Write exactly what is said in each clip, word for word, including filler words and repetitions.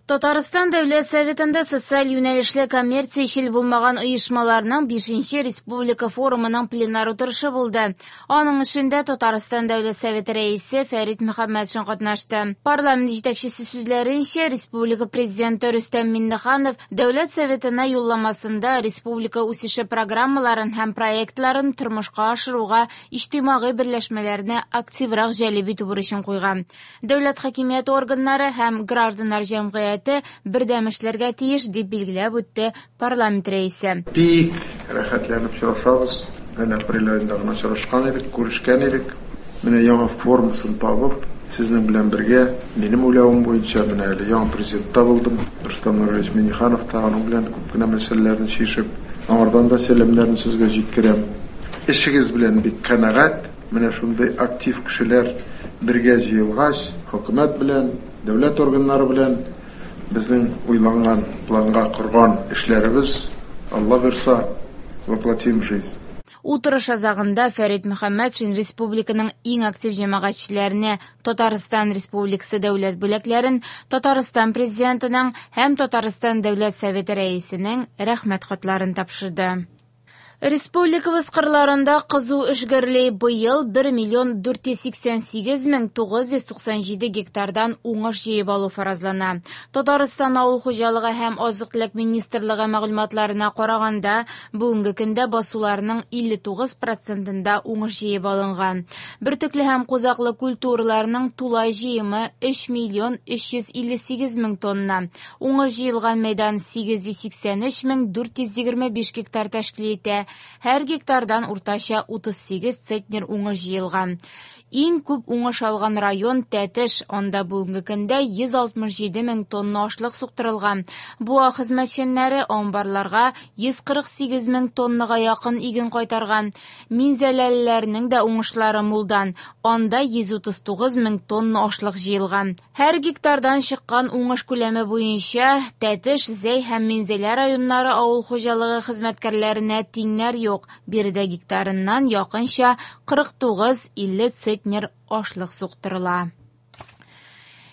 Татарстан Дәүләт Советында социаль юнәлешле коммерциячел булмаган оешмаларның бишенче республика форумының пленар утырышы булды. Аның эшендә Татарстан Дәүләт Советы рәисе Фәрит Мөхәммәтшин катнашты. Парламент җитәкчесе сүзләренчә, республика президенты Рөстәм Миңнеханов Дәүләт Советына юлламасында республика үсеше программаларын һәм проектларын тормышка ашыруга иҗтимагый берләшмәләрне активрак җәлеп итү бурычын куйган. Дәүләт хакимияте органнары һәм гражданнар җәмгыяте бердәм эшләргә тиеш, дип билгеләп үтте парламент рәисе. Бик рәхәтләнеп очрашабыз. Әле апрель аенда гына очрашкан идек, күрешкән идек. Менә яңа формасын табып, сезнең белән бергә, минем уйлавым буенча, менә әле яңа президент та булдым. Рөстәм Нургалиевич Миңнеханов та аның белән күп кенә мәсьәләләрне чишеп, аңардан да сәламнәрне сезгә җиткерәм. Эшегез белән бик канәгать. Менә шундый актив кешеләр бергә җыелгач, хөкүмәт белән, дәүләт органнары белән безнең уйланган, планга корган эшләребез, Алла бирса, воплотим в жизнь. Утырыш азагында Фәрит Мөхәммәтшин республиканың иң актив җәмәгатьчеләренә Татарстан Республикасы дәүләт бүләкләрен, Татарстан президентының һәм Татарстан Дәүләт Советы рәисенең рәхмәт хатларын тапшырды. Республикабыз кырларында кызу эш гөрли. Быел бер миллион дүрт йөз сиксән сигез мең тугыз йөз туксан җиде гектардан уңыш җыеп алу фаразлана. Татарстан Авыл хуҗалыгы һәм азык-төлек министрлыгы мәгълүматларына караганда, бүгенге көндә басуларның илле тугыз процентында уңыш җыеп алынган. Бөртекле һәм кузаклы культураларның тулай җыемы өч миллион өч йөз илле сигез мең тонна. Уңыш җыелган мәйдан сигез йөз сиксән өч мең дүрт йөз егерме биш гектар тәшкил итә. Һәр гектардан уртача утыз сигез центнер уңыш җыелган. Иң күп уңыш алган район Тәтеш, анда бүгенге көндә йөз алтмыш җиде мең тонна ашлык суктырылган. Буа хезмәтчәннәре амбарларга йөз кырык сигез мең тоннага якын иген кайтарган. Минзәләлеләрнең дә уңышлары мулдан, анда йөз утыз тугыз мең тонна ашлык җыелган. Һәр гектардан чыккан уңыш күләме буенча Тәтеш, Зәй һәм Минзәлә районнары авыл хуҗалыгы хезмәткәрләренә тиңнәр юк. Биредә гектарыннан якынча кырык тугыз илле центнер ашлык суктырыла.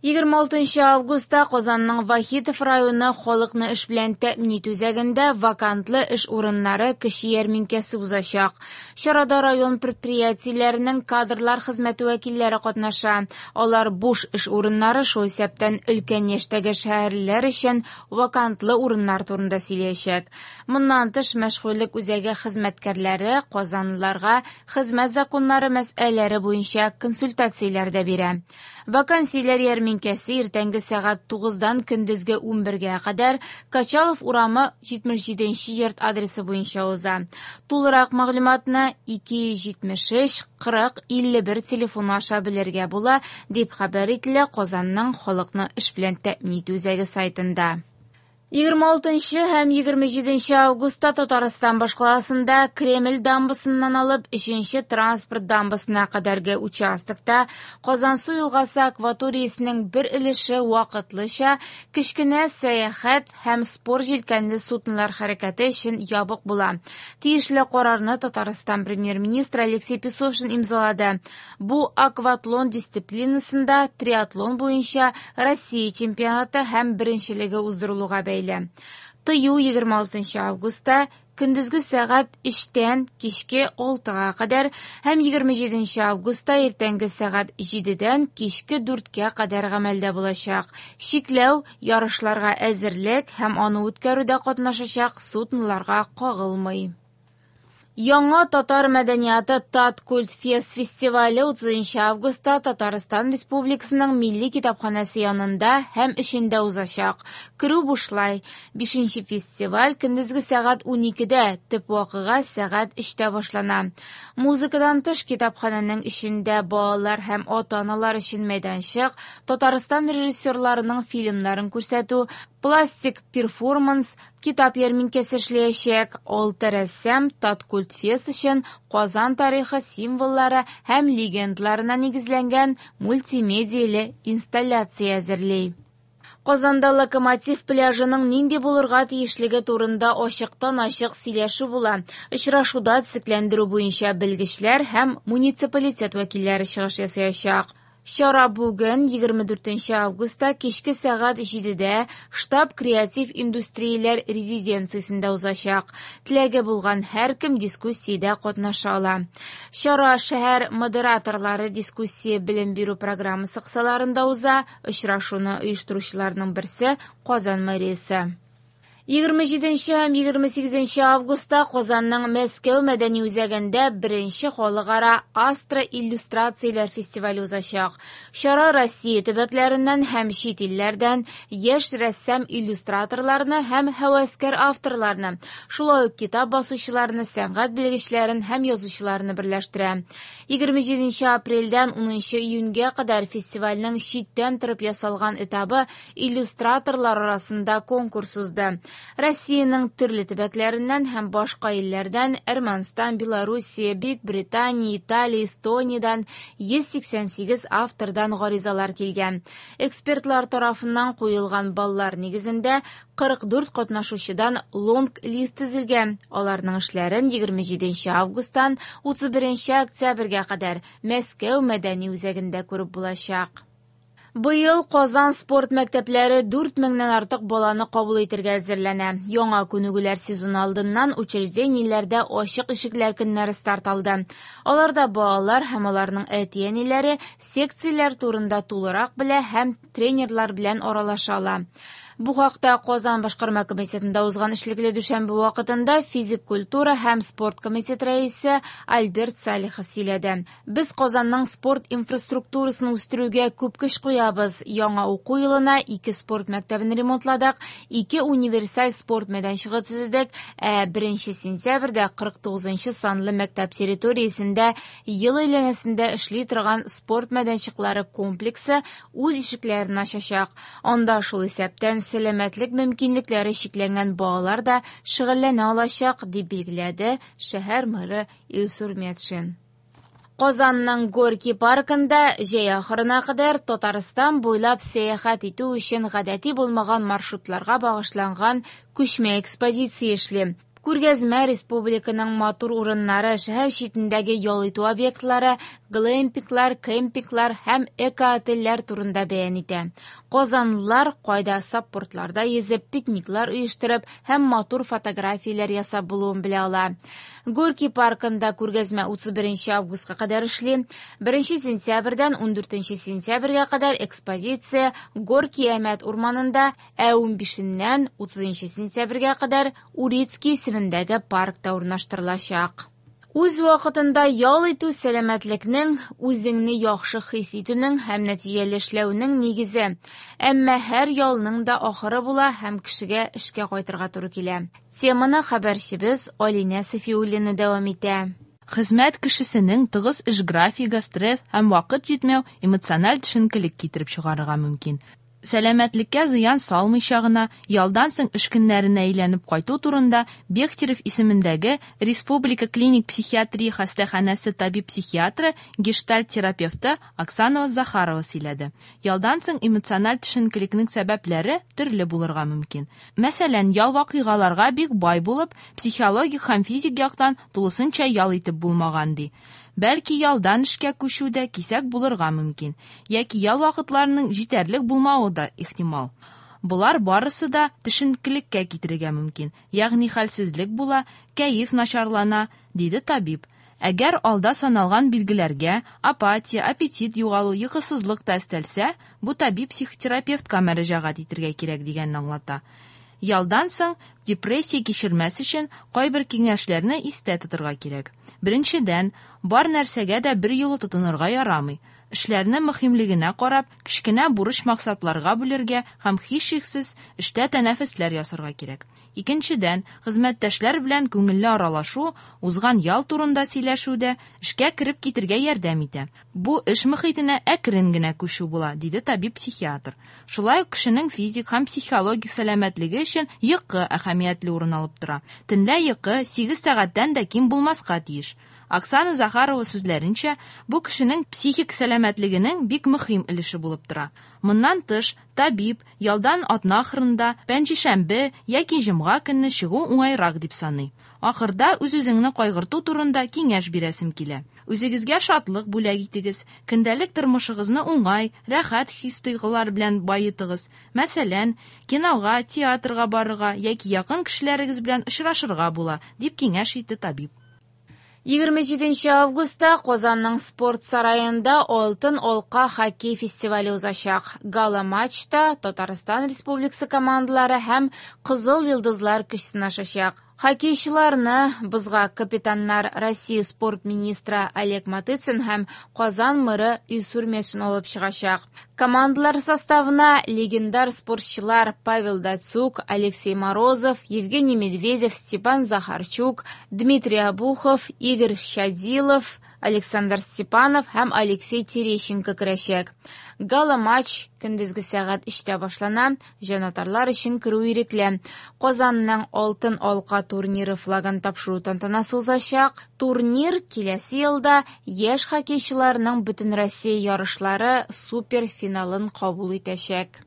Егерме алтынчы августта Казанның Вахитов районы халыкны эш белән тәэмин итү үзәгендә вакантлы эш урыннары кече ярминкәсе узачак. Чарада район предприятиеләренең кадрлар хезмәте вәкилләре катнаша. Алар буш эш урыннары, шул исәптән өлкән яшьтәге шәһәрлеләр өчен вакантлы урыннар турында сөйләячәк. Моннан тыш, мәшгульлек үзәге хезмәткәрләре казанлыларга хезмәт законнары мәсьәләләре буенча консультацияләр дә бирә. Вакансияләр ярминкәсе иртәнге сәгать тугыздан көндезге унбергә кадәр Качалов урамы җитмеш җиденче йорт адресы буенча уза. Тулырак мәгълүматны ике йөз җитмеш өч кырык илле бер телефоны аша белергә була, дип хәбәр ителә Казанның халыкны эш белән тәэмин итү үзәге сайтында. Егерме алтынчы һәм егерме җиденче августта Татарстан башкаласында Кремль дамбасыннан алып өченче транспорт дамбасына кадәрге участокта Казансу елгасы акваториясенең бер өлеше вакытлыча кечкенә сәяхәт һәм спорт җилкәнле суднолар хәрәкәте өчен ябык була. Тиешле карарны Татарстан премьер-министры Алексей Песошин имзалады. Бу акватлон дисциплинасында триатлон буенча Россия чемпионаты һәм беренчелеге уздырылуга бәйле. Тыю егерме алтынчы августта көндезге сәгать өчтән кичке алтыга кадәр һәм егерме җиденче августта иртәнге сәгать җидедән кичке дүрткә кадәр гамәлдә булачак. Чикләү ярышларга әзерлек һәм аны үткәрүдә катнашачак судноларга кагылмый. Яңа татар мәдәнияты Таткультфест фестивале утызынчы августта Татарстан Республикасының Милли китапханәсе янында һәм эчендә узачак. Керү бушлай. Бишенче фестиваль көндезге сәгать уникедә, төп вакыйга сәгать өчтә башлана. Музыкадан тыш китапханәнең эчендә балалар һәм ата-аналар өчен мәйданчык, Татарстан режиссерларының фильмнарын күрсәтү, пластик перформанс, китап ярминкәсе эшләячәк. Алты рәссам Таткультфест өчен Казан тарихы символлары һәм легендаларына нигезләнгән мультимедияле инсталляция әзерли. Казанда Локомотив пляжының нинди булырга тиешлеге турында ачыктан-ачык сөйләшү була. Очрашуда төзекләндерү буенча белгечләр һәм муниципалитет вәкилләре чыгыш ясаячак. Чара бүген егерме дүртенче августта кичке сәгать җидедә штаб креатив индустрияләр резиденциясендә узачак. Теләге булган һәркем дискуссиядә катнаша ала. Чара шәһәр модераторлары дискуссия белем бирү программасы кысаларында уза. Очрашуны оештыручыларның берсе Казан мэриясе. Егерме җиденче һәм егерме сигезенче августта Казанның Мәскәү мәдәни үзәгендә беренче халыкара Астра иллюстрацияләр фестивале узачак. Чара Россия төбәкләреннән һәм чит илләрдән яшь рәссам иллюстраторларны һәм һәвәскәр авторларны, шулай ук китап басучыларны, сәнгать белгечләрен һәм язучыларны берләштерә. Егерме җиденче апрельдән унынчы июньгә кадәр фестивальнең читтән торып ясалган этабы иллюстраторлар арасында конкурс узды. Россиянең төрле төбәкләреннән һәм башка илләрдән Әрмәнстан, Белоруссия, Бөек Британия, Италия, Эстониядән йөз сиксән сигез автордан гаризалар килгән. Экспертлар тарафыннан куелган баллар нигезендә кырык дүрт катнашучыдан лонг-лист төзелгән. Аларның эшләрен егерме җиденче августтан утыз беренче октябрьгә кадәр Мәскәү мәдәни үзәгендә күреп булачак. Быел Казан спорт мәктәпләре дүрт меңнән артык баланы кабул итәргә әзерләнә. Яңа күнегүләр сезоны алдыннан учреждениеләрдә ачык ишекләр көннәре старт алды. Аларда балалар һәм аларның әти-әниләре секцияләр турында тулырак белә һәм тренерлар белән аралаша ала. Бу хакта Казан башкарма комитетында узган эшлекле дүшәмбе вакытында физик культура һәм спорт комитеты рәисе Альберт Салихов сөйләде. Без Казанның спорт инфраструктурасын үстерүгә күп көч куябыз. Яңа уку елына ике спорт мәктәбен ремонтладык, ике универсаль спорт мәйданчыгы төзедек, ә беренче сентябрьдә кырык тугызынчы санлы мәктәп территориясендә ел әйләнәсендә эшли торган спорт мәйданчыклары комплексы үз ишекләрен ачачак. Анда шул исәптән сәламәтлек мөмкинлекләре чикләнгән балалар да шөгыльләнә алачак, дип билгеләде шәһәр мэры Илсур Метшин. Казанның Горки паркында җәй ахырына кадәр Татарстан буйлап сәяхәт итү өчен гадәти булмаган маршрутларга багышланган күчмә экспозиция эшли. Күргәзмә республиканың матур урыннары, шәһәр читендәге ял итү объектлары, глэмпинглар, кемпинглар һәм эко-отельләр турында бәян итә. Казанлылар кайда саппортларда йөзеп, пикниклар оештырып һәм матур фотографияләр ясап булуын белә ала. Горки паркында күргәзмә утыз беренче августка кадәр эшли. Беренче сентябрьдән ундүртенче сентябрьгә кадәр экспозиция Горки Әмәт урманында, ә унбишеннән утызынчы сентябрьгә кадәр Урицкий исемендәге паркта урнаштырылачак. Үз вакытында ял итү сәламәтлекнең, үзеңне яхшы хис итүнең һәм нәтиҗәле эшләүнең нигезе. Әмма һәр ялның да ахыры була һәм кешегә эшкә кайтырга туры килә. Теманы хәбәрчебез Алинә Сафиуллина дәвам итә. Хезмәт кешесенең тыгыз эш графигы, стресс һәм вакыт җитмәү эмоциональ төшенкелек китереп чыгарырга мөмкин. Сәламәтлеккә зыян салмыйча гына ялдан соң эш көннәренә әйләнеп кайту турында Бехтерев исемендәге Республика клиник психиатрия хастаханәсе табиб-психиатры, гештальт-терапевты Оксана Захарова сөйләде. Ялдан соң эмоциональ төшенкелекнең сәбәпләре төрле булырга мөмкин. Мәсәлән, ял вакыйгаларга бик бай булып, психологик һәм физик яктан тулысынча ял итеп булмаган ди. Бәлки ялдан эшкә күчү дә кисәк булырга мөмкин, яки ял вакытларының җитәрлек булмавы да ихтимал. Болар барысы да төшенкелеккә китерергә мөмкин, ягъни хәлсезлек була, кәеф начарлана, диде табиб. Әгәр алда саналган билгеләргә апатия, аппетит югалу, йокысызлык та өстәлсә, бу табиб психотерапевтка мөрәҗәгать итәргә кирәк дигәнне аңлата. Ялдан соң депрессия кичермәс өчен кайбер киңәшләрне истә тотырга кирәк. Беренчедән, бар нәрсәгә дә бер юлы тотынырга ярамый. Эшләрне мөһимлегенә карап, кечкенә бурыч максатларга бүлергә һәм һичшиксез эштә тәнәфесләр ясарга кирәк. Икенчедән, хезмәттәшләр белән күңелле аралашу, узган ял турында сөйләшү дә эшкә кереп китергә ярдәм итә. Бу эш мөхитенә әкрен генә күчү була, диде табиб-психиатр. Шулай ук кешенең физик һәм психологик сәламәтлеге өчен йокы әһәмиятле урын алып тора. Төнлә йокы сигез сәгатьтән дә ким булмаска тиеш. Оксана Захарова сүзләренчә, бу кешенең психик сәламәтлегенең бик мөһим өлеше булып тора. Моннан тыш, табиб ялдан атна ахырында, пәнҗешәмбе яки җомга көнне чыгу уңайрак дип саный. Ахырда үз-үзеңне кайгырту турында киңәш бирәсем килә. Үзегезгә шатлык бүләк итегез. Көндәлек тормышыгызны уңай, рәхәт хис-тойгылар белән баетыгыз. Мәсәлән, кинога, театрга барырга яки якын кешеләрегез белән очрашырга була, дип киңәш итте табиб. Егерме җиденче августта Казанның спорт сараенда Алтын алка хоккей фестивале узачак. Гала-матчта Татарстан Республикасы командалары һәм Кызыл йолдызлар көч сынашачак. Хоккейчыларны бозга капитаннар Россия спорт министры Олег Матыцин һәм Казан мэры Илсур Метшин алып чыгачак. Командалар составына легендар спортчылар Павел Дацюк, Алексей Морозов, Евгений Медведев, Степан Захарчук, Дмитрий Обухов, Игорь Щадилов, Александр Степанов һәм Алексей Терещенко керәчәк. Гала-матч көндезге сәгать өчтә башлана, җанатарлар өчен керү ирекле. Казанның Алтын алка турниры флагын тапшыру тантанасы узачак. Турнир киләсе елда яшь хоккейчыларның Бөтенроссия ярышлары суперфиналын кабул итәчәк.